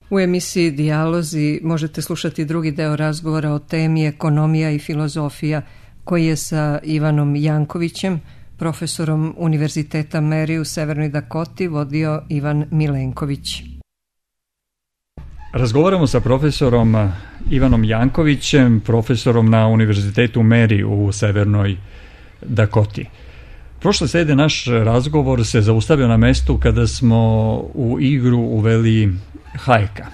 U emisiji Dijalozi možete slušati drugi deo razgovora o temi ekonomija i filozofija koji je sa Ivanom Jankovićem, profesorom Univerziteta Mary u Severnoj Dakoti, vodio Ivan Milenković. Razgovaramo sa profesorom Ivanom Jankovićem, profesorom na Univerzitetu Mary u Severnoj Dakoti. Prošle srede naš razgovor se zaustavio na mestu kada smo u igru uveli Hayeka.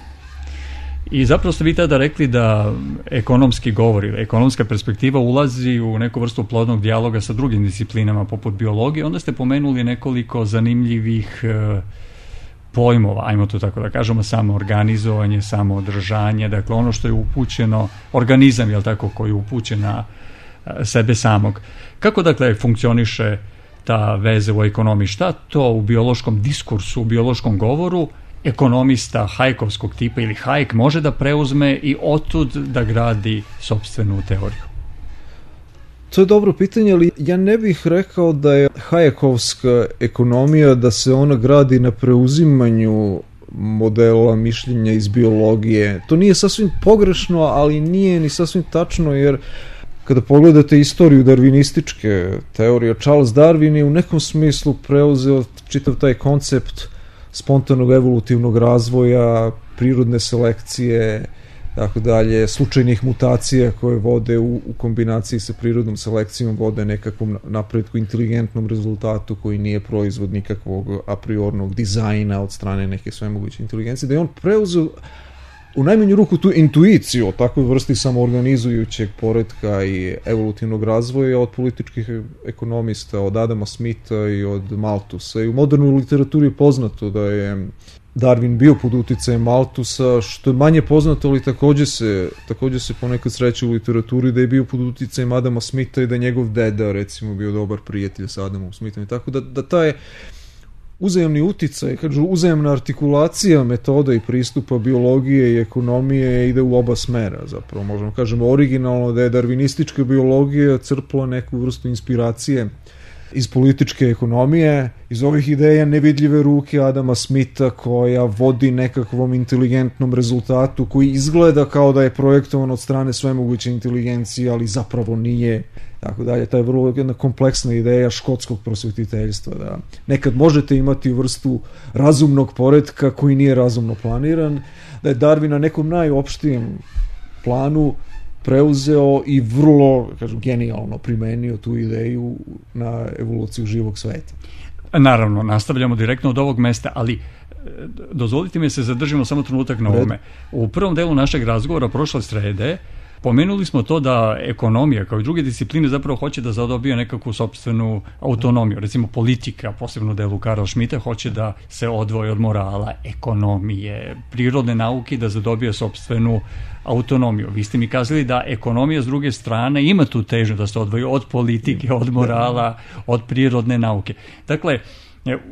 I zapravo ste vi tada rekli da ekonomski govor ili ekonomska perspektiva ulazi u neku vrstu plodnog dijaloga sa drugim disciplinama poput biologije. Onda ste pomenuli nekoliko zanimljivih pojmova, ajmo to tako da kažemo, samoorganizovanje, samoodržanje, dakle ono što je upućeno, organizam, jel tako, koji je upućen na sebe samog. Kako dakle funkcioniše ta veza u ekonomiji? Šta to u biološkom diskursu, u biološkom govoru ekonomista Hayekovskog tipa ili Hayek može da preuzme i otud da gradi sopstvenu teoriju? To je dobro pitanje, ali ja ne bih rekao da je Hayekovska ekonomija, da se ona gradi na preuzimanju modela mišljenja iz biologije. To nije sasvim pogrešno, ali nije ni sasvim tačno, jer kada pogledate istoriju darvinističke teorije, Charles Darwin je u nekom smislu preuzeo čitav taj koncept spontanog evolutivnog razvoja, prirodne selekcije, tako dalje, slučajnih mutacija koje vode u kombinaciji sa prirodnom selekcijom vode nekakvom napretku, inteligentnom rezultatu koji nije proizvod nikakvog a priornog dizajna od strane neke svemoguće inteligencije, da je on preuzeo u najmanju ruku tu intuiciju o takvoj vrsti samoorganizujućeg poretka i evolutivnog razvoja od političkih ekonomista, od Adama Smitha i od Malthusa. I u modernoj literaturi je poznato da je Darwin bio pod uticajem Malthusa, što je manje poznato, ali takođe se ponekad sreće u literaturi da je bio pod uticajem Adama Smitha i da je njegov deda, recimo, bio dobar prijatelj sa Adamom Smithom. Tako da taj uzajemni uticaj, uzajemna artikulacija metoda i pristupa biologije i ekonomije ide u oba smera, zapravo možemo kažemo originalno da je darvinistička biologija crpla neku vrstu inspiracije iz političke ekonomije, iz ovih ideja nevidljive ruke Adama Smitha koja vodi nekakvom inteligentnom rezultatu koji izgleda kao da je projektovan od strane svemoguće inteligencije, ali zapravo nije. Tako dalje, ta je vrlo jedna kompleksna ideja škotskog prosvetiteljstva, da nekad možete imati vrstu razumnog poretka koji nije razumno planiran, da je Darwin na nekom najopštijem planu preuzeo i vrlo, genijalno primenio tu ideju na evoluciju živog sveta. Naravno, nastavljamo direktno od ovog mesta, ali dozvolite mi se zadržimo samo trenutak na ovome. U prvom delu našeg razgovora prošle srede pomenuli smo to da ekonomija kao i druge discipline zapravo hoće da zadobije nekakvu sopstvenu autonomiju. Recimo politika, posebno delu Karla Schmitta, hoće da se odvoji od morala, ekonomije, prirodne nauke, da zadobije sopstvenu autonomiju. Vi ste mi kazali da ekonomija s druge strane ima tu težnju da se odvoji od politike, od morala, od prirodne nauke. Dakle,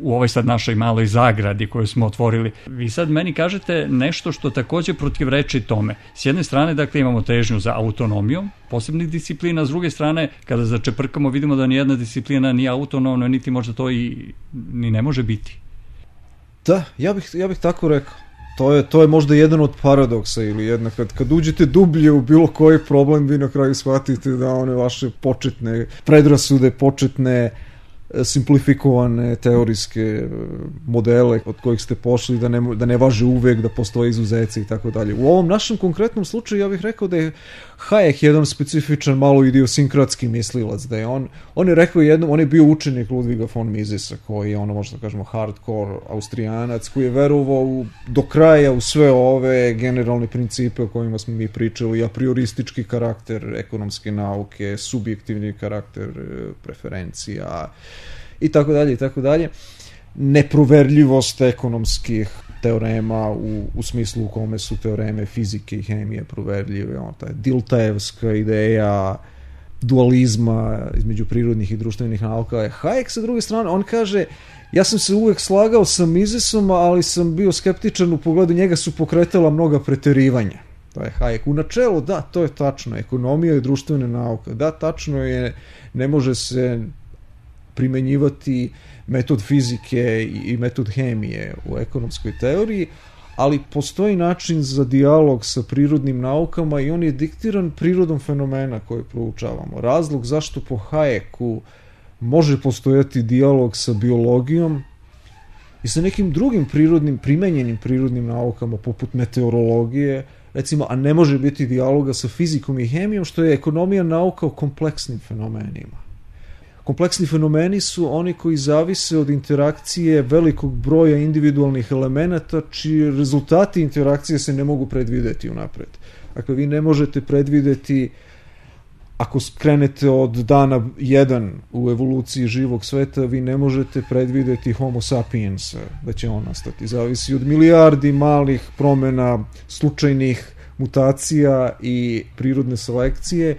u ovoj sad našoj maloj zagradi koju smo otvorili, vi sad meni kažete nešto što takođe protivreči tome. S jedne strane, dakle, imamo težnju za autonomijom posebnih disciplina, s druge strane, kada začeprkamo, vidimo da nijedna disciplina nije autonomna, niti možda to i ni ne može biti. Da, ja bih tako rekao. To je možda jedan od paradoksa ili jedna, kad uđete dublje u bilo koji problem, vi na kraju shvatite da one vaše početne predrasude, početne simplifikovane teorijske modele od kojih ste pošli da ne važe uvek, da postoje izuzeci i tako dalje. U ovom našem konkretnom slučaju ja bih rekao da je Hayek jedan specifičan, malo idiosinkratski mislilac, da je on je rekao jednom, on je bio učenik Ludviga von Misesa, koji je možda kažemo hardcore Austrijanac, koji je verovao do kraja u sve ove generalne principe o kojima smo mi pričali, a prioristički karakter ekonomske nauke, subjektivni karakter preferencija i tako dalje i tako dalje. Neproverljivost ekonomskih teorema u smislu u kome su teoreme fizike i hemije proverljive, ta Diltaevska ideja dualizma između prirodnih i društvenih nauka. Hayek sa druge strane, on kaže, ja sam se uvek slagao sa Misesom, ali sam bio skeptičan u pogledu njega, su pokretala mnoga preterivanja. To je Hayek. U načelu, da, to je tačno, ekonomija i društvene nauke, da, tačno je, ne može se primenjivati metod fizike i metod hemije u ekonomskoj teoriji, ali postoji način za dijalog sa prirodnim naukama i on je diktiran prirodom fenomena koje proučavamo. Razlog zašto po Hayeku može postojati dijalog sa biologijom i sa nekim drugim primenjenim prirodnim naukama, poput meteorologije, recimo, a ne može biti dijaloga sa fizikom i hemijom, što je ekonomija nauka o kompleksnim fenomenima. Kompleksni fenomeni su oni koji zavise od interakcije velikog broja individualnih elemenata, čiji rezultati interakcije se ne mogu predvideti unapred. Dakle, vi ne možete predvideti, ako skrenete od dana 1 u evoluciji živog sveta, vi ne možete predvideti Homo sapiensa, da će on nastati. Zavisi od milijardi malih promjena, slučajnih mutacija i prirodne selekcije.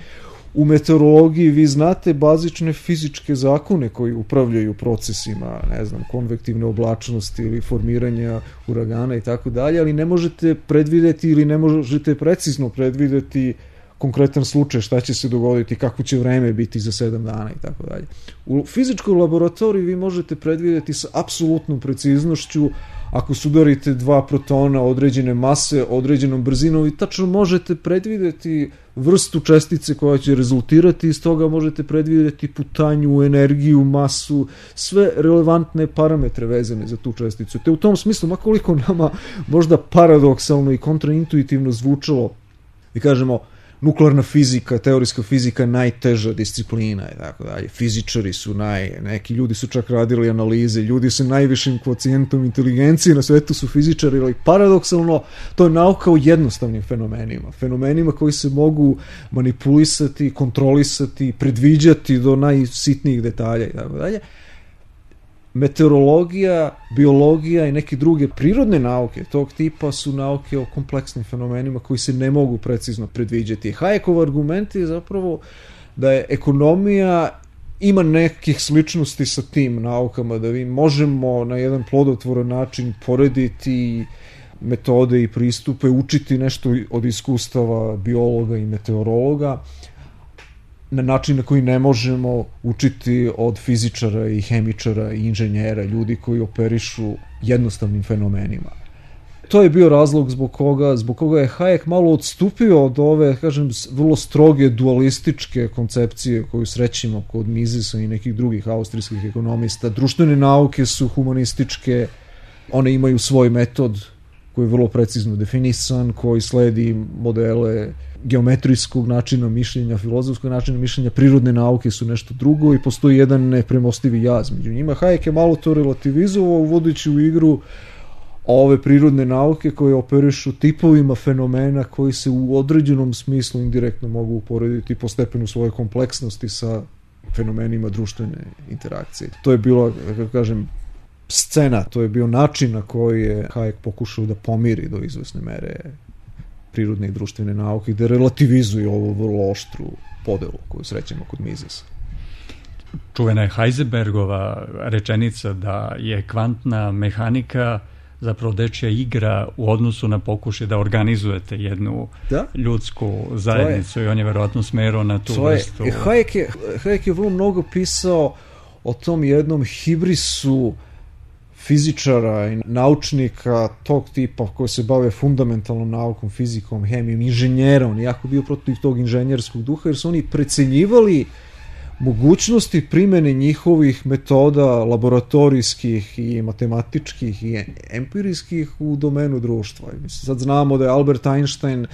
U meteorologiji vi znate bazične fizičke zakone koji upravljaju procesima, ne znam, konvektivne oblačnosti ili formiranja uragana i tako dalje, ali ne možete predvideti ili ne možete precizno predvideti konkretan slučaj, šta će se dogoditi, kako će vreme biti za 7 dana i tako dalje. U fizičkoj laboratoriji vi možete predvideti sa apsolutnom preciznošću, ako sudarite 2 protona određene mase, određenom brzinom, i tačno možete predvideti vrstu čestice koja će rezultirati, iz toga možete predvideti putanju, energiju, masu, sve relevantne parametre vezane za tu česticu. Te u tom smislu, makoliko nama možda paradoksalno i kontraintuitivno zvučalo, i kažemo, nuklearna fizika, teorijska fizika je najteža disciplina i tako dalje. Fizičari su neki ljudi su čak radili analize, ljudi sa najvišim kvocijentom inteligencije na svetu su fizičari, ali paradoksalno to je nauka o jednostavnim fenomenima. Fenomenima koji se mogu manipulisati, kontrolisati, predviđati do najsitnijih detalja i tako dalje. Meteorologija, biologija i neke druge prirodne nauke tog tipa su nauke o kompleksnim fenomenima koji se ne mogu precizno predviđati. Hayekov argument je zapravo da je ekonomija ima nekih sličnosti sa tim naukama, da mi možemo na jedan plodotvoran način porediti metode i pristupe, učiti nešto od iskustava biologa i meteorologa, na način na koji ne možemo učiti od fizičara i hemičara i inženjera, ljudi koji operišu jednostavnim fenomenima. To je bio razlog zbog koga je Hayek malo odstupio od ove, kažem, vrlo stroge dualističke koncepcije koju srećemo kod Misesa i nekih drugih austrijskih ekonomista. Društvene nauke su humanističke, one imaju svoj metod koji je vrlo precizno definisan, koji sledi modele geometrijskog načina mišljenja, filozofskog načina mišljenja, prirodne nauke su nešto drugo i postoji jedan nepremostivi jaz među njima. Hayek je malo to relativizovao, uvodeći u igru ove prirodne nauke koje operišu tipovima fenomena koji se u određenom smislu indirektno mogu uporediti po stepenu svoje kompleksnosti sa fenomenima društvene interakcije. To je bilo, kako kažem, scena, to je bio način na koji je Hayek pokušao da pomiri do izvesne mere prirodne i društvene nauke i da relativizuje ovu vrlo oštru podelu koju srećemo kod Misesa. Čuvena je Heisenbergova rečenica da je kvantna mehanika zapravo dečja igra u odnosu na pokušaj da organizujete jednu ljudsku zajednicu i on je verovatno smerao na tu vrstu. Hayek je vrlo mnogo pisao o tom jednom hibrisu fizičara i naučnika tog tipa koji se bave fundamentalnom naukom, fizikom, hemijom, inženjera. On je jako bio protiv tog inženjerskog duha jer su oni precenjivali mogućnosti primene njihovih metoda laboratorijskih i matematičkih i empirijskih u domenu društva. Sad znamo da je Albert Einstein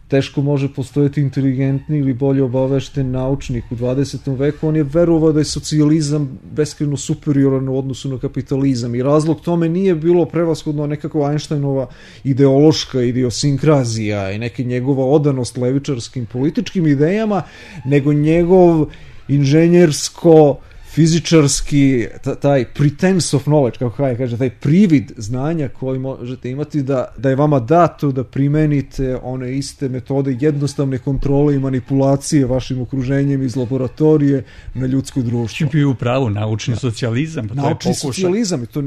teško može postojati inteligentni ili bolje obavešten naučnik u 20. veku. On je verovao da je socijalizam beskrajno superioran u odnosu na kapitalizam i razlog tome nije bilo prevashodno nekako Einsteinova ideološka idiosinkrazija i neka njegova odanost levičarskim političkim idejama, nego njegov inženjersko fizičarski, taj pretense of knowledge, kako Hayek kaže, taj privid znanja koji možete imati da je vama dato da primenite one iste metode jednostavne kontrole i manipulacije vašim okruženjem iz laboratorije na ljudsko društvo. Čim bio u pravu, naučni socijalizam. Naučni socijalizam, i to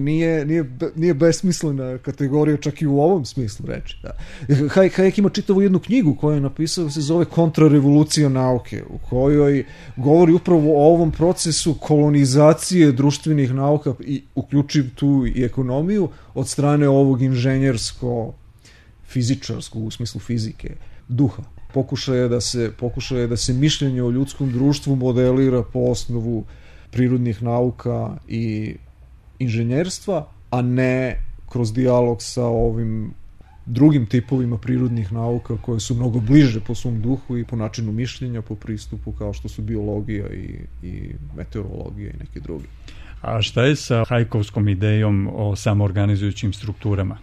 nije besmislena kategorija čak i u ovom smislu reči. Da. Hayek ima čitavu jednu knjigu koju je napisao, se zove Kontrarevolucija nauke, u kojoj govori upravo o ovom procesu kolonizacije društvenih nauka i uključiv tu i ekonomiju od strane ovog fizičarskog u smislu fizike, duha. Pokušaj je da se mišljenje o ljudskom društvu modelira po osnovu prirodnih nauka i inženjerstva, a ne kroz dijalog sa ovim drugim tipovima prirodnih nauka koje su mnogo bliže po svom duhu i po načinu mišljenja, po pristupu, kao što su biologija i meteorologija i neki drugi. A šta je sa Hayekovskom idejom o samoorganizujućim strukturama?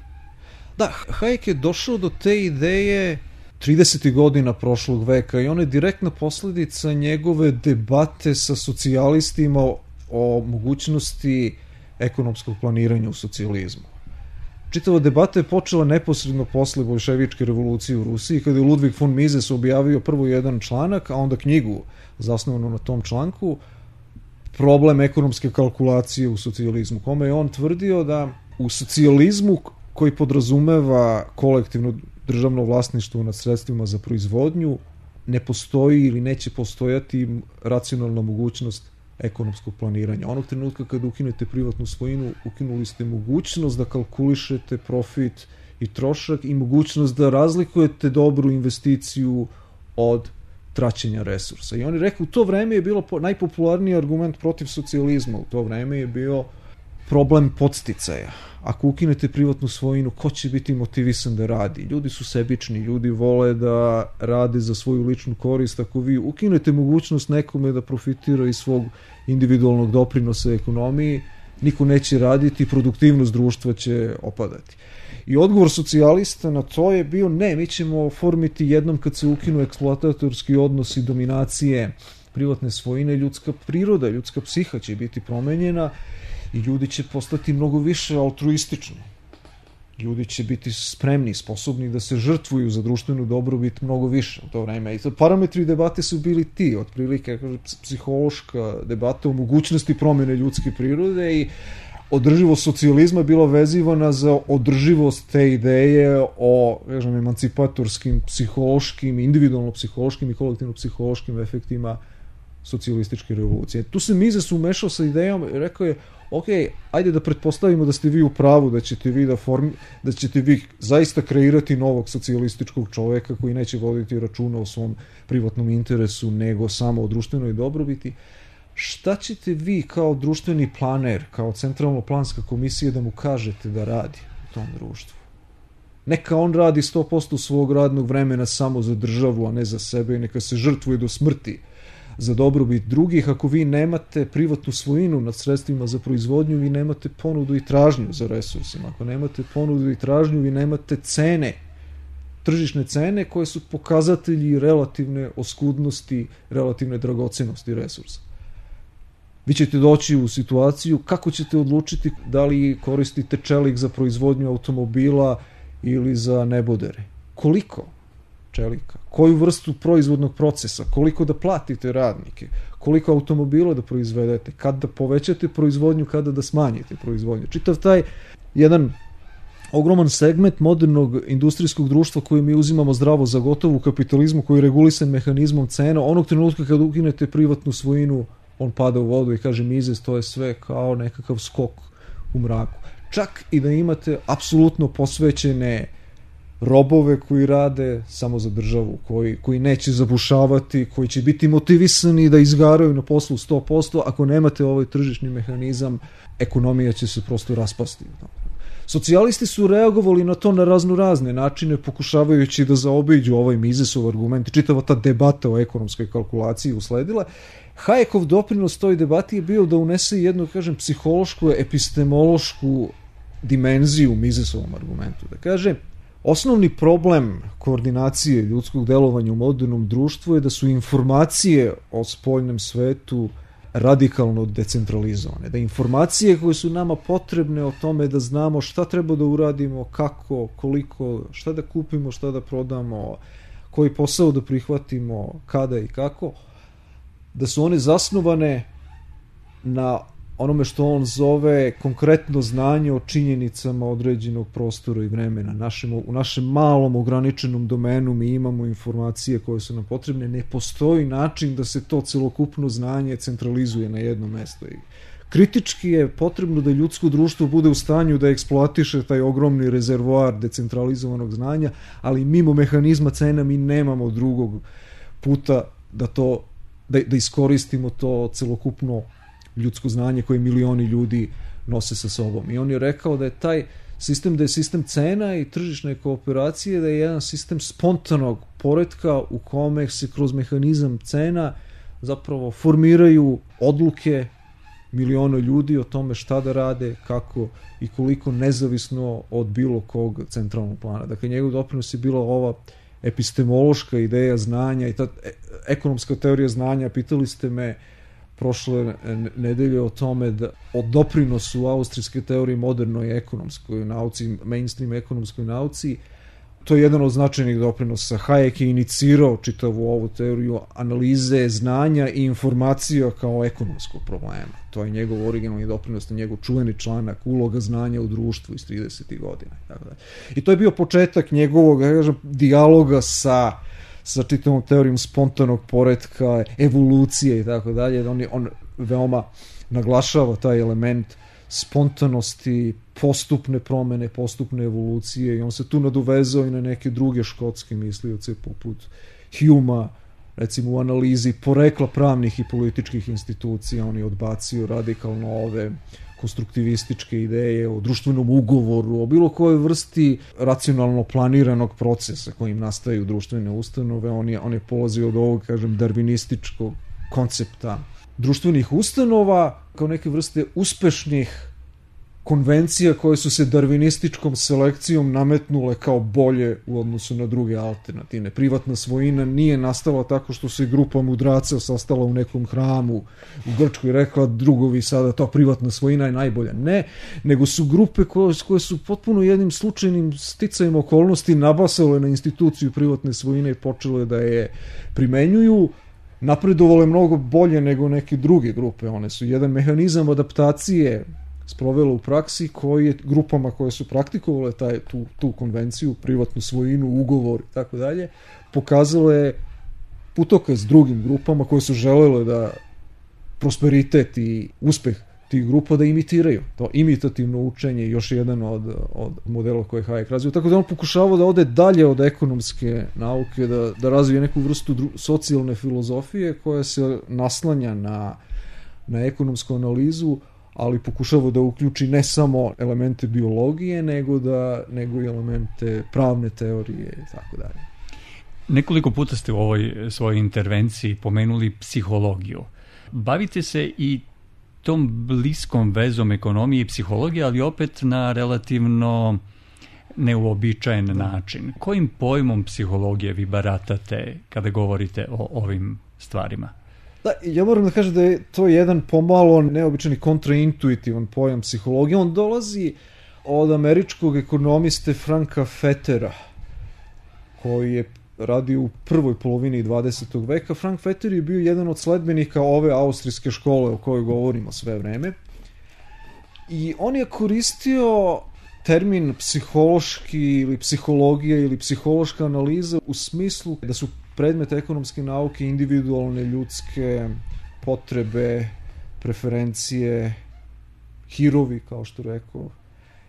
Da, Hayek je došao do te ideje 30. godina prošlog veka i ona je direktna posledica njegove debate sa socijalistima o mogućnosti ekonomskog planiranja u socijalizmu. Čitava debata je počela neposredno posle bolševičke revolucije u Rusiji, kada je Ludwig von Mises objavio prvo jedan članak, a onda knjigu zasnovanu na tom članku, Problem ekonomske kalkulacije u socijalizmu, kome je on tvrdio da u socijalizmu koji podrazumeva kolektivno državno vlasništvo nad sredstvima za proizvodnju, ne postoji ili neće postojati racionalna mogućnost ekonomskog planiranja. Onog trenutka kada ukinete privatnu svojinu, ukinuli ste mogućnost da kalkulišete profit i trošak i mogućnost da razlikujete dobru investiciju od traćenja resursa. I oni rekao, u to vreme je bilo najpopularniji argument protiv socijalizma, u to vreme je bio problem podsticaja. Ako ukinete privatnu svojinu, ko će biti motivisan da radi? Ljudi su sebični, ljudi vole da rade za svoju ličnu korist. Ako vi ukinete mogućnost nekome da profitira iz svog individualnog doprinosa ekonomiji, niko neće raditi, produktivnost društva će opadati. I odgovor socijalista na to je bio, ne, mi ćemo oformiti jednom kad se ukinu eksploatatorski odnosi dominacije privatne svojine, ljudska priroda, ljudska psiha će biti promenjena i ljudi će postati mnogo više altruistični. Ljudi će biti spremni, sposobni da se žrtvuju za društvenu dobrobit mnogo više u to vreme. I to parametri debate su bili ti, otprilike psihološka debata o mogućnosti promjene ljudske prirode i održivost socijalizma bila vezivana za održivost te ideje o, kažem, emancipatorskim, psihološkim, individualno psihološkim i kolektivno psihološkim efektima socijalističke revolucije. Tu se Mises umešao sa idejom i rekao je, ok, ajde da pretpostavimo da ste vi u pravu, da ćete vi zaista kreirati novog socijalističkog čoveka koji neće voditi računa o svom privatnom interesu, nego samo o društvenoj dobrobiti. Šta ćete vi kao društveni planer, kao centralno planska komisija da mu kažete da radi u tom društvu? Neka on radi 100% svog radnog vremena samo za državu, a ne za sebe, i neka se žrtvuje do smrti za dobrobit drugih. Ako vi nemate privatnu svojinu nad sredstvima za proizvodnju, vi nemate ponudu i tražnju za resursima. Ako nemate ponudu i tražnju, vi nemate cene, tržišne cene koje su pokazatelji relativne oskudnosti, relativne dragocenosti resursa. Vi ćete doći u situaciju kako ćete odlučiti da li koristite čelik za proizvodnju automobila ili za nebodere. Koliko čelika? Koju vrstu proizvodnog procesa? Koliko da platite radnike? Koliko automobila da proizvedete? Kada da povećate proizvodnju, kada da smanjite proizvodnju? Čitav taj jedan ogroman segment modernog industrijskog društva koji mi uzimamo zdravo za gotovo u kapitalizmu, koji je regulisan mehanizmom cena, onog trenutka kada ukinete privatnu svojinu, on pada u vodu i kaže Mises, to je sve kao nekakav skok u mraku. Čak i da imate apsolutno posvećene robove koji rade samo za državu, koji neće zabušavati, koji će biti motivisani da izgaraju na poslu 100%, ako nemate ovaj tržišni mehanizam, ekonomija će se prosto raspasti. Socijalisti su reagovali na to na razne načine, pokušavajući da zaobiđu ovaj Misesov argument. Čitava ta debata o ekonomskoj kalkulaciji usledila. Hayekov doprinos toj debati je bio da unese jednu, kažem, psihološku, epistemološku dimenziju Misesovom argumentu. Da kaže, osnovni problem koordinacije ljudskog delovanja u modernom društvu je da su informacije o spoljnom svetu radikalno decentralizovane. Da informacije koje su nama potrebne o tome da znamo šta treba da uradimo, kako, koliko, šta da kupimo, šta da prodamo, koji posao da prihvatimo, kada i kako, da su one zasnovane na onome što on zove konkretno znanje o činjenicama određenog prostora i vremena. U našem malom ograničenom domenu mi imamo informacije koje su nam potrebne. Ne postoji način da se to celokupno znanje centralizuje na jedno mesto. I kritički je potrebno da ljudsko društvo bude u stanju da eksploatiše taj ogromni rezervoar decentralizovanog znanja, ali mimo mehanizma cena mi nemamo drugog puta da iskoristimo to celokupno ljudsko znanje koje milioni ljudi nose sa sobom. I on je rekao da je taj sistem, da je sistem cena i tržišne kooperacije, da je jedan sistem spontanog poretka u kome se kroz mehanizam cena zapravo formiraju odluke miliona ljudi o tome šta da rade, kako i koliko, nezavisno od bilo kog centralnog plana. Dakle, njegov doprinos je bila ova epistemološka ideja znanja i ta ekonomska teorija znanja. Pitali ste me prošle nedelje o tome o doprinosu austrijske teorije modernoj ekonomskoj nauci, mainstream ekonomskoj nauci. To je jedan od značajnih doprinosa. Hayek je inicirao čitavu ovu teoriju analize znanja i informacija kao ekonomskog problema. To je njegov originalni doprinos, njegov čuveni članak Uloga znanja u društvu iz 30. godina. I to je bio početak njegovog, dijaloga sa čitavom teorijom spontanog poretka, evolucije i tako dalje. On veoma naglašava taj element spontanosti, postupne promene, postupne evolucije, i on se tu nadovezao i na neke druge škotske mislioce poput Humea, recimo u analizi porekla pravnih i političkih institucija. On je odbacio radikalno ove konstruktivističke ideje o društvenom ugovoru, o bilo kojoj vrsti racionalno planiranog procesa kojim nastaju društvene ustanove. On je polazio od ovog, darvinističkog koncepta društvenih ustanova kao neke vrste uspešnih konvencija koje su se darvinističkom selekcijom nametnule kao bolje u odnosu na druge alternativne. Privatna svojina nije nastala tako što se grupa mudraca sastala u nekom hramu u Grčkoj i rekla drugovi sada to privatna svojina je najbolja. Ne, nego su grupe koje su potpuno jednim slučajnim sticajem okolnosti nabasale na instituciju privatne svojine i počele da je primenjuju, napredovale mnogo bolje nego neke druge grupe. One su jedan mehanizam adaptacije sprovelo u praksi koji je grupama koje su praktikovale tu konvenciju, privatnu svojinu, ugovor i tako dalje, pokazalo je putokaz drugim grupama koje su želele da prosperitet i uspeh tih grupa da imitiraju. To imitativno učenje je još jedan od modela koje je Hayek razvio. Tako da on pokušavao da ode dalje od ekonomske nauke, da razvije neku vrstu socijalne filozofije koja se naslanja na ekonomsku analizu, ali pokušava da uključi ne samo elemente biologije, nego i elemente pravne teorije i tako dalje. Nekoliko puta ste u ovoj svojoj intervenciji pomenuli psihologiju. Bavite se i tom bliskom vezom ekonomije i psihologije, ali opet na relativno neuobičajen način. Kojim pojmom psihologije vi baratate kada govorite o ovim stvarima? Da, ja moram da kažem da je to jedan pomalo neobičani kontraintuitivan pojam psihologije. On dolazi od američkog ekonomiste Franka Fettera, koji je radio u prvoj polovini 20. veka. Frank Fetter je bio jedan od sledbenika ove austrijske škole o kojoj govorimo sve vreme. I on je koristio termin psihološki ili psihologija ili psihološka analiza u smislu da su predmet ekonomske nauke individualne ljudske potrebe, preferencije, hirovi, kao što rekao,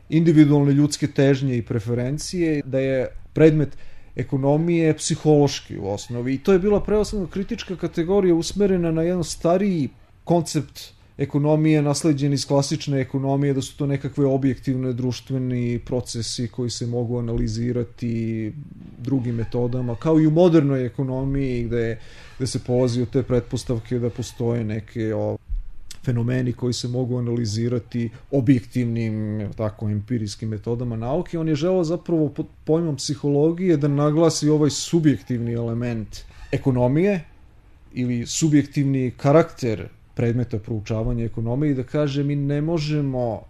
individualne ljudske težnje i preferencije, da je predmet ekonomije psihološki u osnovi. I to je bila prevashodno kritička kategorija usmerena na jedan stariji koncept ekonomije nasleđen iz klasične ekonomije, da su to nekakve objektivne društveni procesi koji se mogu analizirati drugim metodama, kao i u modernoj ekonomiji gde se polazi od te pretpostavke da postoje neke fenomeni koji se mogu analizirati objektivnim, tako, empirijskim metodama nauke. On je želeo zapravo pod pojmom psihologije da naglasi ovaj subjektivni element ekonomije ili subjektivni karakter predmeta proučavanja ekonomije i da kaže mi ne možemo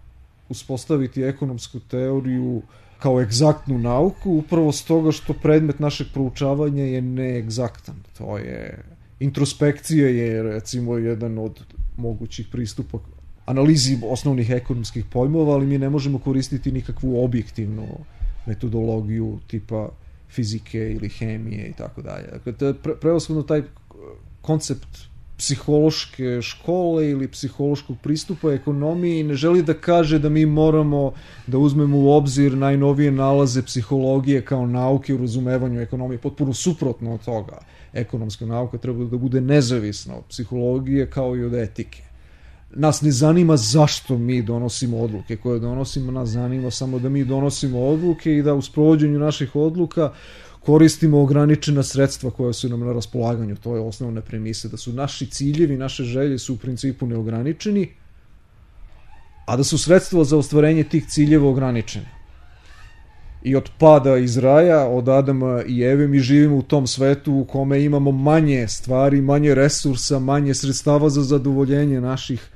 uspostaviti ekonomsku teoriju kao egzaktnu nauku upravo stoga što predmet našeg proučavanja je neegzaktan. To je introspekcija je recimo jedan od mogućih pristupa analizi osnovnih ekonomskih pojmova, ali mi ne možemo koristiti nikakvu objektivnu metodologiju tipa fizike ili hemije i tako dalje. Dakle, to je prevashodno taj koncept psihološke škole ili psihološkog pristupa ekonomiji i ne želi da kaže da mi moramo da uzmemo u obzir najnovije nalaze psihologije kao nauke u razumevanju ekonomije. Potpuno suprotno od toga. Ekonomska nauka treba da bude nezavisna od psihologije kao i od etike. Nas ne zanima zašto mi donosimo odluke koje donosimo, nas zanima samo da mi donosimo odluke i da u sprovođenju naših odluka koristimo ograničena sredstva koja su nam na raspolaganju. To je osnovna premisa, da su naši ciljevi, naše želje su u principu neograničeni, a da su sredstva za ostvarenje tih ciljeva ograničene. I od pada iz raja, od Adama i Eve, mi živimo u tom svetu u kome imamo manje stvari, manje resursa, manje sredstava za zadovoljenje naših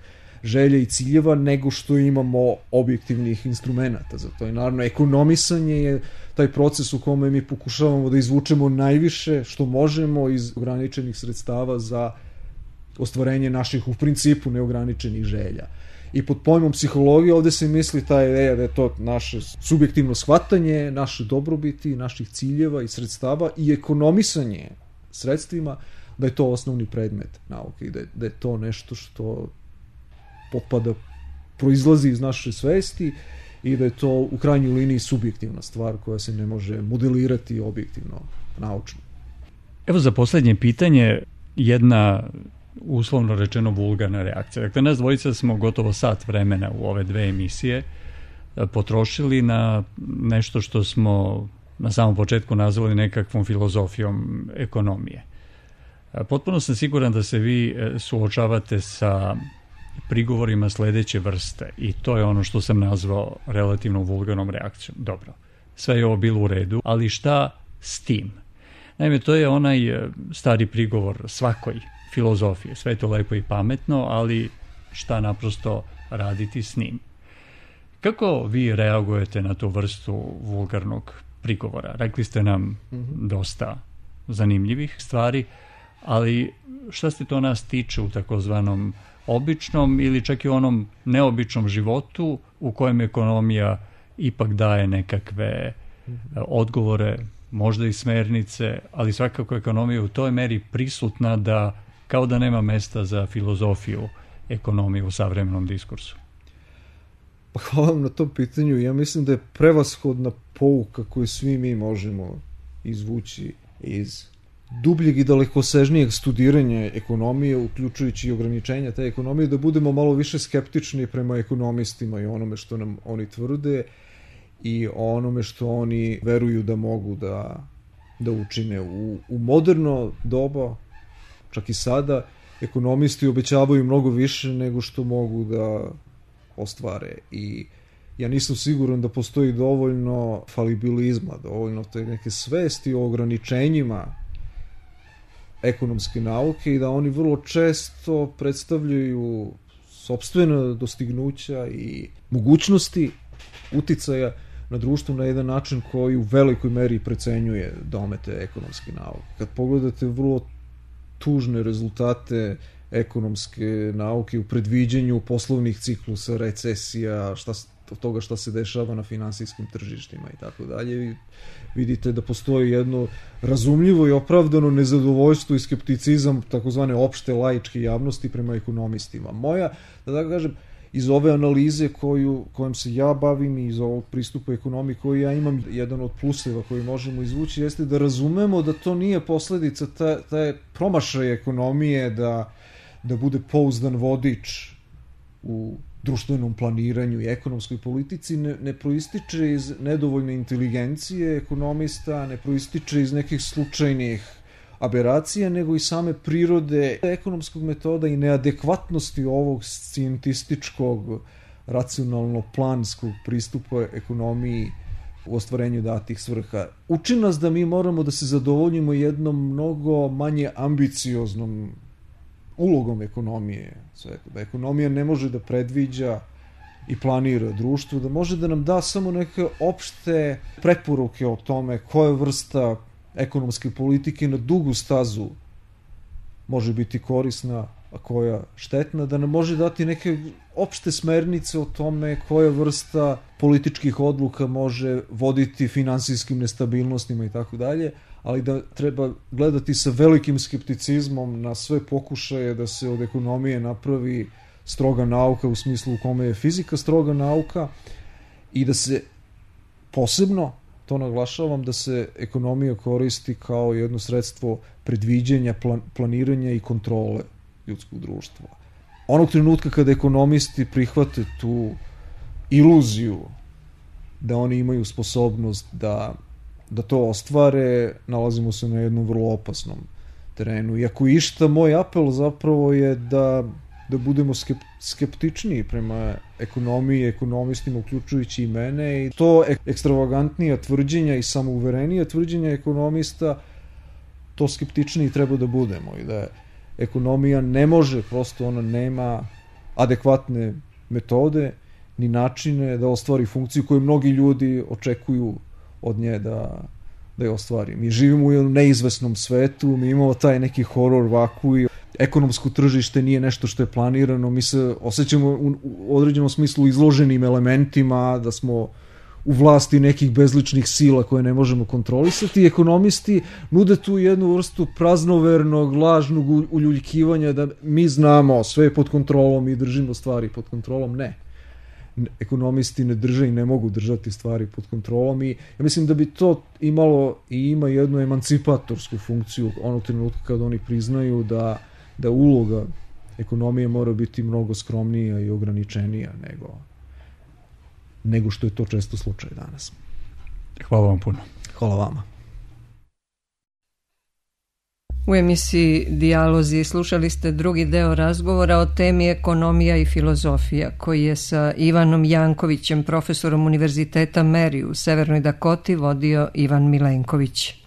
želja i ciljeva nego što imamo objektivnih instrumenta za to. I naravno, ekonomisanje je taj proces u kome mi pokušavamo da izvučemo najviše što možemo iz ograničenih sredstava za ostvarenje naših u principu neograničenih želja. I pod pojmom psihologije ovde se misli ta ideja da je to naše subjektivno shvatanje, naše dobrobiti, naših ciljeva i sredstava i ekonomisanje sredstvima, da je to osnovni predmet nauke i da je to nešto što potpada, proizlazi iz naše svesti i da je to u krajnjoj liniji subjektivna stvar koja se ne može modelirati objektivno, naučno. Evo za poslednje pitanje jedna uslovno rečeno vulgarna reakcija. Dakle, nas dvojica smo gotovo sat vremena u ove dve emisije potrošili na nešto što smo na samom početku nazvali nekakvom filozofijom ekonomije. Potpuno sam siguran da se vi suočavate sa prigovorima sledeće vrste i to je ono što sam nazvao relativno vulgarnom reakcijom. Dobro, sve je ovo bilo u redu, ali šta s tim? Naime, to je onaj stari prigovor svakoj filozofije. Sve je to lepo i pametno, ali šta naprosto raditi s njim? Kako vi reagujete na tu vrstu vulgarnog prigovora? Rekli ste nam dosta zanimljivih stvari, ali šta se to nas tiče u takozvanom običnom ili čak i onom neobičnom životu u kojem ekonomija ipak daje nekakve odgovore, možda i smernice, ali svakako ekonomija u toj meri prisutna da kao da nema mesta za filozofiju ekonomije u savremenom diskursu. Pa hvala vam na tom pitanju. Ja mislim da je prevashodna pouka koju svi mi možemo izvući iz dubljeg i dalekosežnijeg studiranja ekonomije, uključujući i ograničenja te ekonomije, da budemo malo više skeptični prema ekonomistima i onome što nam oni tvrde i onome što oni veruju da mogu da učine. U moderno doba, čak i sada, ekonomisti obećavaju mnogo više nego što mogu da ostvare i ja nisam siguran da postoji dovoljno falibilizma, dovoljno te neke svesti o ograničenjima ekonomske nauke i da oni vrlo često predstavljaju sopstvena dostignuća i mogućnosti uticaja na društvo na jedan način koji u velikoj meri precenjuje domete ekonomske nauke. Kad pogledate vrlo tužne rezultate ekonomske nauke u predviđenju poslovnih ciklusa, recesija, od toga šta se dešava na finansijskim tržištima i tako dalje, vidite da postoji jedno razumljivo i opravdano nezadovoljstvo i skepticizam takozvane opšte laičke javnosti prema ekonomistima. Moja, da tako kažem, iz ove analize kojom se ja bavim i iz ovog pristupa ekonomiji koji ja imam, jedan od pluseva koji možemo izvući jeste da razumemo da to nije posledica taj promašaj ekonomije da bude pouzdan vodič u društvenom planiranju i ekonomskoj politici, ne proističe iz nedovoljne inteligencije ekonomista, ne proističe iz nekih slučajnih aberacija, nego i same prirode ekonomskog metoda i neadekvatnosti ovog scijentističkog, racionalno-planskog pristupa ekonomiji u ostvarenju datih svrha. Uči nas da mi moramo da se zadovoljimo jednom mnogo manje ambicioznom ulogom ekonomije. Da ekonomija ne može da predviđa i planira društvo, da može da nam da samo neke opšte preporuke o tome koja vrsta ekonomske politike na dugu stazu može biti korisna, a koja štetna, da nam može dati neke opšte smernice o tome koja vrsta političkih odluka može voditi finansijskim nestabilnostima i tako dalje, ali da treba gledati sa velikim skepticizmom na sve pokušaje da se od ekonomije napravi stroga nauka u smislu u kome je fizika stroga nauka i da se posebno, to naglašavam, da se ekonomija koristi kao jedno sredstvo predviđanja, planiranja i kontrole ljudskog društva. Onog trenutka kada ekonomisti prihvate tu iluziju da oni imaju sposobnost da to ostvare, nalazimo se na jednom vrlo opasnom terenu. I ako išta, moj apel zapravo je da budemo skeptičniji prema ekonomiji, ekonomistima, uključujući i mene, i to ekstravagantnija tvrđenja i samouverenija tvrđenja ekonomista, to skeptičniji treba da budemo i da ekonomija ne može, prosto ona nema adekvatne metode ni načine da ostvari funkciju koju mnogi ljudi očekuju od nje da je ostvari. Mi živimo u jednom neizvesnom svetu, mi imamo taj neki horor vakuum, ekonomsko tržište nije nešto što je planirano, mi se osjećamo u određenom smislu izloženim elementima, da smo u vlasti nekih bezličnih sila koje ne možemo kontrolisati. Ekonomisti nude tu jednu vrstu praznovernog, lažnog uljuljkivanja da mi znamo, sve je pod kontrolom i držimo stvari pod kontrolom. Ne. Ekonomisti ne drže i ne mogu držati stvari pod kontrolom i ja mislim da bi to imalo i ima jednu emancipatorsku funkciju onog trenutka kada oni priznaju da uloga ekonomije mora biti mnogo skromnija i ograničenija nego što je to često slučaj danas. Hvala vam puno. Hvala vama. U emisiji Dijalozi slušali ste drugi deo razgovora o temi ekonomija i filozofija, koji je sa Ivanom Jankovićem, profesorom Univerziteta Mary u Severnoj Dakoti, vodio Ivan Milenković.